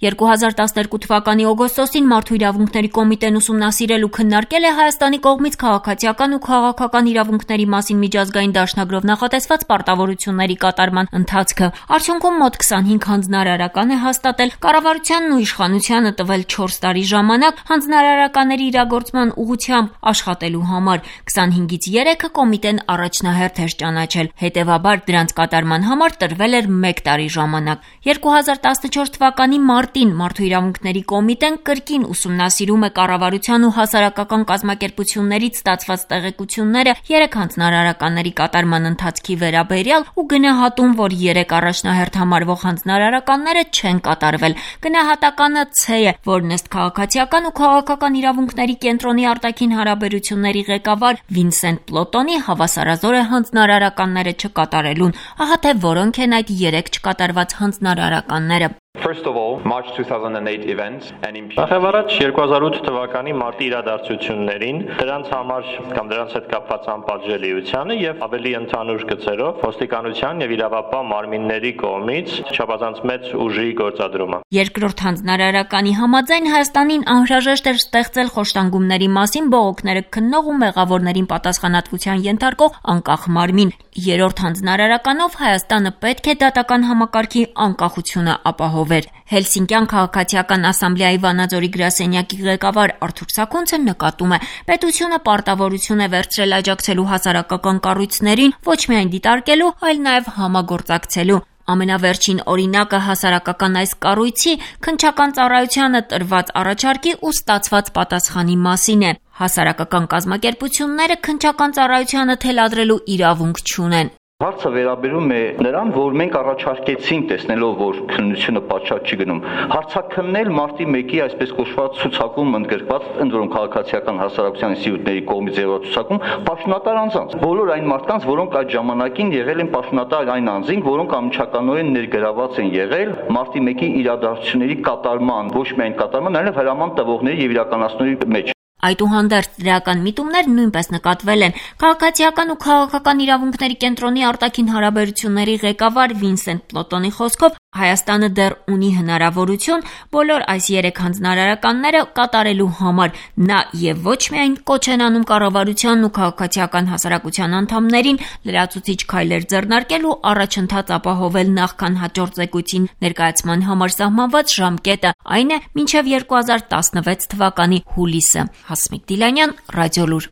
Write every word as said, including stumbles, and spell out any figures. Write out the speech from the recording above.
երկու հազար տասներկու թվականի օգոստոսին Մարդու իրավունքների կոմիտեն ուսումնասիրել ու քննարկել է Հայաստանի կողմից քաղաքացիական ու քաղաքական իրավունքների մասին միջազգային դաշնագրով նախատեսված պարտավորությունների կատարման ընթացքը։ Արդյունքում մոտ քսանհինգ հանձնարարական է հաստատել, կառավարությանն ու իշխանությանը տվել չորս տարի ժամանակ հանձնարարականների իրագործման ուղղությամբ աշխատելու համար։ քսանհինգից երեքը կոմիտեն առաջնահերթ էր ճանաչել, հետևաբար դրանց կատարման համար տրվել էր մեկ տարի ժամանակ։ երկու հազար տասնչորս թվականի մարտին Մարդու իրավունքների կոմիտեն կրկին ուսումնասիրում է կառավարության ու հասարակական կազմակերպություններից ստացված տեղեկությունները երեք հանձնարարականների կատարման ընթացքի վերաբերյալ ու գնահատում, որ երեք առաջնահերթ համարվող հանձնարարականները չեն կատարվել։ Գնահատականը C է, որն ըստ քաղաքացիական ու քաղաքական իրավունքների կենտրոնի արտաքին հարաբերությունների ղեկավար Վինսենտ Պլոտոնի հավասարազոր է հանձնարարականները չկատարելուն։ Ահա թե որոնք են այդ երեք չկատարված հանձնարարականները։ Նախևառաջ երկու հազար ութ թվականի մարտի իրադարձություններին, դրանց համար կամ դրանց հետ կապված անպատժելիությանը եւ ավելի ընդհանուր գծերով ոստիկանության եւ իրավապահ մարմինների կողմից չափազանց մեծ ուժի գործադրումը։ Երկրորդ հանձնարարականի համաձայն Հայաստանին անհրաժեշտ էր ստեղծել խոշտանգումների մասին բողոքները քննող ու մեղավորներին պատասխանատվության ենթարկող անկախ մարմին։ Երրորդ հանձնարարականով Հայաստանը պետք է դատական համակարգի անկախությունը ապահովեր։ Հելսինկյան քաղաքացիական ասամբլեայի Վանաձորի գրասենյակի ղեկավար Արթուր Սաքունցը նկատում է, պետությունը պարտավորություն է վերցրել աջակցելու հասարակական կառույցներին, ոչ միայն դիտարկելու, այլ նաև համագործակցելու։ Ամենավերջին օրինակը հասարակական այս կառույցի քննչական ծառայությանը տրված առաջարկի ու ստացված պատասխանի մասին է։ Հասարակական կազմակերպությունները քննչական ծառայությանը թելադրելու իրավունք չունեն։ Հարցը վերաբերում է նրան, որ մենք առաջարկեցինք, տեսնելով, որ քննությունը պատշաճ չի գնում, հարցաքննել մարտի մեկի այսպես կոչված ցուցակում ընդգրկված ընդ որում քաղաքացիական հասարակության ինստիտուտների կողմից եղած ցուցակում պաշտոնատար անձանց։ Բոլոր այն մարդկանց, որոնք այդ ժամանակին եղել են պաշտոնատար այն անձինք, որոնք անմիջականորեն ներգրաված են եղել մարտի մեկի իրադարձությունների կատարման, ոչ միայն կատարման, այլև հրաման տվողների եւ իրականացնողների մեջ։ Այդուհանդերձ դրական միտումներ նույնպես նկատվել են։ Քաղաքացիական ու քաղաքական իրավունքների կենտրոնի արտաքին հարաբերությունների ղեկավար Վինսենտ Պլոտոնի խոսքով Հայաստանը դեռ ունի հնարավորություն բոլոր այս երեք հանձնարարականները կատարելու համար։ Նա եւ ոչ միայն կոչ են անում կառավարությանն ու քաղաքացիական հասարակության անդամներին լրացուցիչ քայլեր ձեռնարկել ու առաջընթաց ապահովել նախքան հաջորդ զեկույցին ներկայացման համար սահմանված ժամկետը, այն է մինչև երկու հազար տասնվեց թվականի հուլիսը։ Հասմիկ Դիլանյան, Ռադիոլուր։